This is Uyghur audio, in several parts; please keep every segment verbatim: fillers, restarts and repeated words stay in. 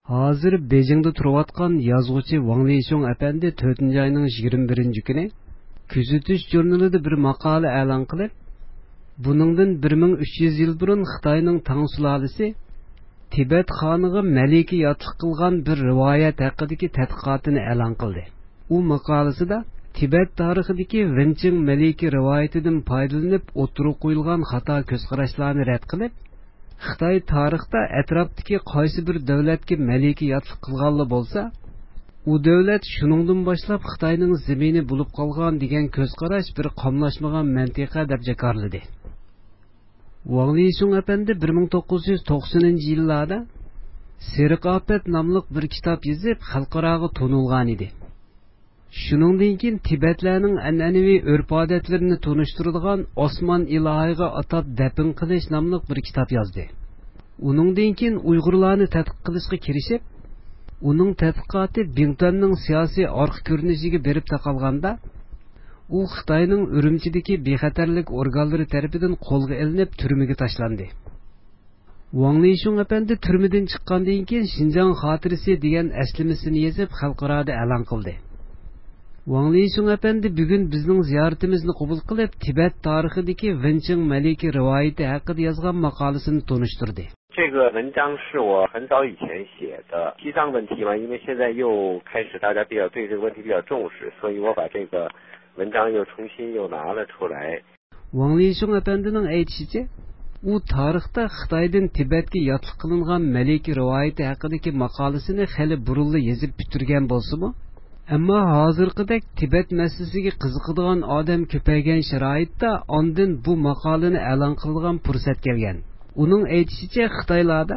ھازىر بېيجىڭدا تۇرۇۋاتقان يازغۇچى ۋاڭ لىشۇڭ ئەپەندى تۆتىنچى ئاينىڭ يىگىرمە بىرىنچى كۈنى كۆزىتىش ژۇرنىلىدا بىر ماقالە ئېلان قىلىپ، بۇنىڭدىن بىر مىڭ ئۈچ يۈز يىل بۇرۇن خىتاينىڭ تاڭ سۇلالىسى تىبەت خانىغا مەلىكە ياتلىق قىلغان بىر رىۋايەت ھەققىدىكى تەتقىقاتىنى ئېلان قىلدى. ئۇ ماقالىسىدا تىبەت تارىخىدىكى ۋېنچىڭ مەلىكە رىۋايىتىدىن پايدىلىنىپ ئوتتۇرىغا قويۇلغان خاتا كۆز قاراشلارنى رەت قىلىپ، خىتاي تارىختا ئەتراپتىكى قايسى بىر دۆلەتكە مەلىكە ياتلىق قىلغانلا بولسا، ئۇ دۆلەت شۇنىڭدىن باشلاپ خىتاينىڭ زېمىنى بولۇپ قالغان دېگەن كۆز قاراش بىر قاملاشمىغان مەنتىقە دەپ جاكارلىدى. ۋاڭ لىشۇڭ ئەپەندى بىر مىڭ توققۇز يۈز توقسىنىنچى يىللاردا سېرىق ئاپەت ناملىق بىر كىتاب يېزىپ، خەلقئاراغا تونۇلغان ئىدى. شۇنىڭدىن كېيىن تىبەتلەرنىڭ ئەنئەنىۋى ئۆرپ-ئادەتلىرىنى تونۇشتۇرىدىغان ئاسمان ئىلاھىغا ئاتاپ دەپنە قىلىش ناملىق بىر كىتاب يازدى. ئۇنىڭدىن كېيىن ئۇيغۇرلارنى تەتقىق قىلىشقا كىرىشىپ، ئۇنىڭ تەتقىقاتى بىڭتۈەننىڭ سىياسىي ئارقا كۆرۈنۈشىگە بېرىپ تاقالغاندا، ئۇ خىتاينىڭ ئۈرۈمچىدىكى بىخەتەرلىك ئورگانلىرى تەرىپىدىن قولغا ئېلىنىپ، تۈرمىگە تاشلاندى. ۋاڭ لىشۇڭ ئەپەندى تۈرمىدىن چىققاندىن كېيىن، شىنجاڭ خاتىرىسى دېگەن ئەسلىمىسىنى يېزىپ، خەلقئارادا ئېلان قىلدى. ۋاڭ لىشۇڭ ئەپەندى بۈگۈن بىزنىڭ زىيارىتىمىزنى قوبۇل قىلىپ، تىبەت تارىخىدىكى ۋېنچىڭ مەلىكە رىۋايىتى ھەققىدە يازغان ماقالىسىنى تونۇشتۇردى. 这个文章是我很早以前写的，西藏问题嘛，因为现在又开始大家比较对这个问题比较重视，所以我把这个文章又重新又拿了出来。 ۋاڭ لىشۇڭ ئەپەندىنىڭ ئېيتىشىچە، ئۇ تارىختا خىتايدىن تىبەتكە ياتلىق قىلىنغان مەلىكە رىۋايىتى ھەققىدىكى ماقالىسىنى خېلى بۇرۇنلا يېزىپ پۈتتۈرگەن بولسىمۇ، ئەمما ھازىرقىدەك تىبەت مەسىلىسىگە قىزىقىدىغان ئادەم كۆپەيگەن شارائىتتا ئاندىن بۇ ماقالىنى ئېلان قىلىدىغان پۇرسەت كەلگەن. ئۇنىڭ ئېيتىشىچە، خىتايلاردا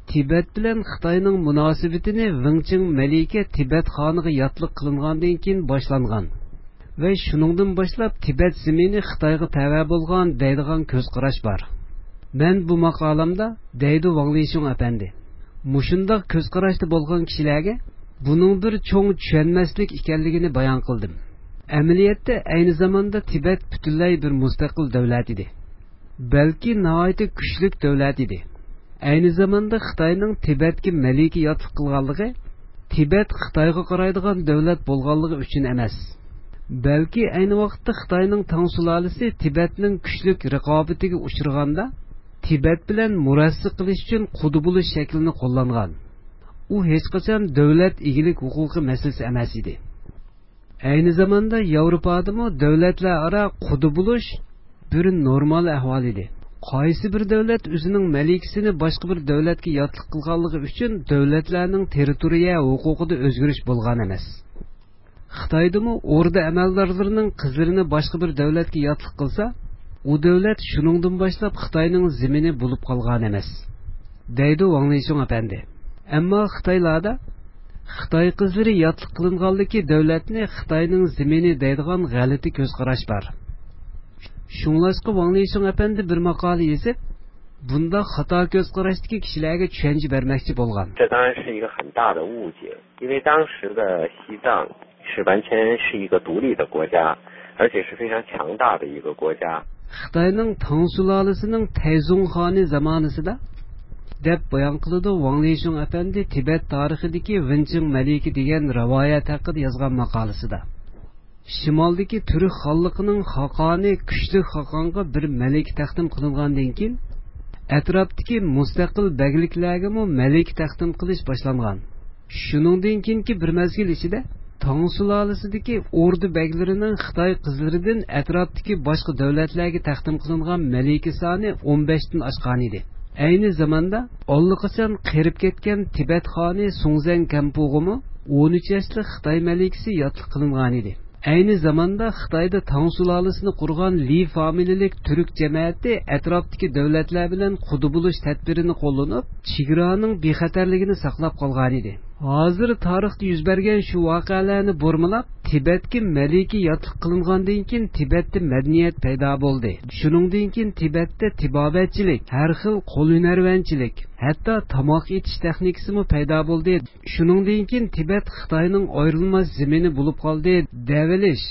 تىبەت بىلەن خىتاينىڭ مۇناسىۋىتىنى ۋېڭچىڭ مەلىكە تىبەت خانىغا ياتلىق قىلىنغاندىن كېيىن باشلانغان ۋە شۇنىڭدىن باشلاپ تىبەت زېمىنى خىتايغا تەۋە بولغان دەيدىغان كۆز قاراش بار. مەن بۇ ماقالامدا، دەيدۇ ۋاڭ لىشۇڭ ئەپەندى، مۇشۇنداق كۆز قاراشتا بولغان كىشىلەرگە بۇنىڭ بىر چوڭ چۈشەنمەسلىك ئىكەنلىكىنى بايان قىلدىم. ئەمەلىيەتتە ئەينى زاماندا تىبەت پۈتۈنلەي بىر مۇستەقىل دۆلەت ئىدى. بەلكى ناھايىتى كۈچلۈك دۆلەت ئىدى. ئەينى زاماندا خىتاينىڭ تىبەتكە مەلىكە ياتلىق قىلغانلىقى تىبەت خىتايغا قارايدىغان دۆلەت بولغانلىقى ئۈچۈن ئەمەس، بەلكى ئەينى ۋاقىتتا خىتاينىڭ تاڭ سۇلالىسى تىبەتنىڭ كۈچلۈك رىقابىتىگە ئۇچرىغاندا، تىبەت بىلەن مۇرەسسە قىلىش ئۈچۈن قۇدا بولۇش شەكلىنى قوللانغان. ئۇ ھېچقاچان دۆلەت ئىگىلىك ھوقۇقى مەسىلىسى ئەمەس ئىدى. ئەينى زاماندا ياۋروپادىمۇ دۆلەتلەر ئارا قۇدا بولۇش بىر نورمال ئەھۋال ئىدى. قايسى بىر دۆلەت ئۆزىنىڭ مەلىكىسىنى باشقا بىر دۆلەتكە ياتلىق قىلغانلىقى ئۈچۈن دۆلەتلەرنىڭ تېررىتورىيە ھوقۇقىدا ئۆزگىرىش بولغان ئەمەس. خىتايدىمۇ ئوردا ئەمەلدارلىرىنىڭ قىزلىرىنى باشقا بىر دۆلەتكە ياتلىق قىلسا، ئۇ دۆلەت شۇنىڭدىن باشلاپ خىتاينىڭ زېمىنى بولۇپ قالغان ئەمەس، دەيدۇ ۋاڭ لىشۇڭ ئەپەندى. ئەمما خىتايلاردا خىتاي قىزلىرى ياتلىق قىلىنغانلىكى دۆلەتنى خىتاينىڭ زېمىنى دەيدىغان غەلىتە كۆز قاراش بار. شۇڭلاشقا ۋاڭ لىشۇڭ ئەپەندى بىر ماقالە يېزىپ، بۇنداق خاتا كۆز قاراشتىكى كىشىلەرگە چۈشەنچە بەرمەكچى بولغان. 这当然是一个很大的误解，因为当时的西藏是完全是一个独立的国家，而且是非常强大的一个国家。 خىتاينىڭ تاڭ سۇلالىسىنىڭ تەيزۇڭ خانى زامانىسىدا، دەپ بايان قىلىدۇ ۋاڭ لىشۇڭ ئەپەندى تىبەت تارىخىدىكى ۋېنچىڭ مەلىكە دېگەن رىۋايەت ھەققىدە يازغان ماقالىسىدا. شىمالدىكى تۈرك خانلىقىنىڭ خاقانى كۈچلۈك خاقانغا بىر مەلىكە تەقدىم قىلىنغاندىن كېيىن، ئەتراپتىكى مۇستەقىل بەگلىكلەرگىمۇ مەلىكە تەقدىم قىلىش باشلانغان. شۇنىڭدىن كېيىنكى بىر مەزگىل ئىچىدە تاڭ سۇلالىسىدىكى ئوردا بەگلىرىنىڭ خىتاي قىزلىرىدىن ئەتراپتىكى باشقا دۆلەتلەرگە تەقدىم قىلىنغان مەلىكە سانى ئون بەشتىن ئاشقانىدى. ئەينى زاماندا ئاللىقاچان قېرىپ كەتكەن تىبەت خانى سۇڭزەن كەمپۇغىمۇ ئون ئۈچ ياشلىق خىتاي مەلىكىسى ياتلىق قىلىنغانىدى. ئەينى زاماندا خىتايدا تاڭ سۇلالىسىنى قۇرغان لى فامىلىلىك تۈرك جەمەتى ئەتراپتىكى دۆلەتلەر بىلەن قۇدا بولۇش تەدبىرىنى قوللىنىپ، چېگرانىڭ بىخەتەرلىكىنى ساقلاپ قالغانىدى. ھازىر تارىختا يۈز بەرگەن شۇ ۋەقەلەرنى بۇرمىلاپ، تىبەتكە مەلىكە ياتلىق قىلىنغاندىن كېيىن تىبەتتە مەدەنىيەت پەيدا بولدى. شۇنىڭدىن كېيىن تىبەتتە تېبابەتچىلىك، ھەر خىل قول ھۈنەرۋەنچىلىك، ھەتتا تاماق ئېتىش تېخنىكىسىمۇ پەيدا بولدى. شۇنىڭدىن كېيىن تىبەت خىتاينىڭ ئايرىلماس زېمىنى بولۇپ قالدى، دەۋېلىش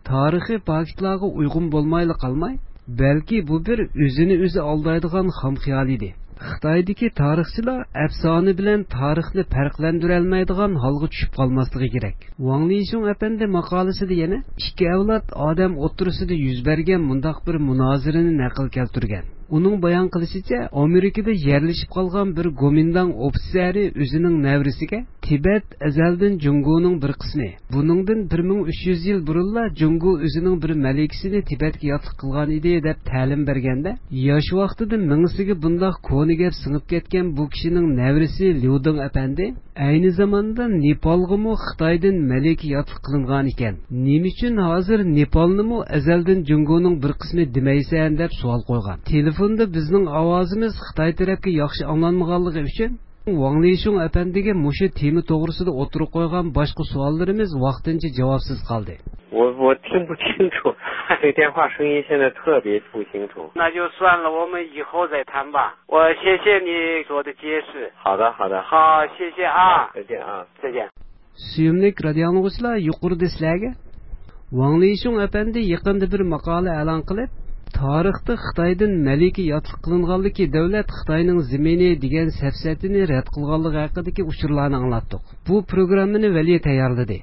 تارىخىي پاكىتلارغا ئۇيغۇن بولمايلا قالماي، بەلكى بۇ بىر ئۆزىنى ئۆزى ئالدايدىغان خام خىيال ئىدى. خىتايدىكى تارىخچىلار ئەپسانە بىلەن تارىخنى پەرقلەندۈرەلمەيدىغان ھالغا چۈشۈپ قالماسلىقى كېرەك. ۋاڭ لىشۇڭ ئەپەندى ماقالىسىدە يەنە ئىككى ئەۋلاد ئادەم ئوتتۇرىسىدا يۈز بەرگەن مۇنداق بىر مۇنازىرىنى نەقىل كەلتۈرگەن. ئۇنىڭ بايان قىلىشىچە، ئامېرىكىدا يەرلىشىپ قالغان بىر گومىنداڭ ئوفىتسېرى ئۆزىنىڭ نەۋرىسىگە تىبەت ئەزەلدىن جۇڭگونىڭ بىر قىسمى. بۇنىڭدىن بىر مىڭ ئۈچ يۈز يىل بۇرۇنلا جۇڭگو ئۆزىنىڭ بىر مەلىكىسىنى تىبەتكە ياتلىق قىلغان ئىدى، دەپ تەلىم بەرگەندە، ياش ۋاقتىدا مېڭىسىگە بۇنداق كونا گەپ سىڭىپ كەتكەن بۇ كىشىنىڭ نەۋرىسى ليۇدىڭ ئەپەندى ئەينى زاماندا نېپالغىمۇ خىتايدىن مەلىكە ياتلىق قىلىنغان ئىكەن. نېمە ئۈچۈن ھازىر نېپالنىمۇ ئەزەلدىن جۇڭگونىڭ بىر قىسمى دېمەيسەن، دەپ سوئال قويغان. تېلېفوندا بىزنىڭ ئاۋازىمىز خىتاي تەرەپكە ياخشى ئاڭلانمىغانلىقى ئۈچۈن، ۋاڭ لىشۇڭ ئەپەندىگە مۇشۇ تېما توغرىسىدا ئوتتۇرىغا قويغان باشقا سوئاللىرىمىز ۋاقتىنچە جاۋابسىز قالدى. 我我听不清楚，这电话声音现在特别不清楚。那就算了，我们以后再谈吧。我谢谢你做的解释。好的，好的。好，谢谢啊。再见啊。再见。 سۆيۈملۈك رادىيو ئاڭلىغۇچىلار، يۇقىرىدا سىلەرگە ۋاڭ لىشۇڭ ئەپەندى يېقىندا بىر ماقالە ئېلان قىلىپ، تارىختا خىتايدىن مەلىكە ياتلىق قىلىنغانلىكى دۆلەت خىتاينىڭ زېمىنى دېگەن سەپسەتىنى رەت قىلغانلىقى ھەققىدىكى ئۇچۇرلارنى ئاڭلاتتۇق. بۇ پروگراممىنى ۋەلى تەييارلىدى.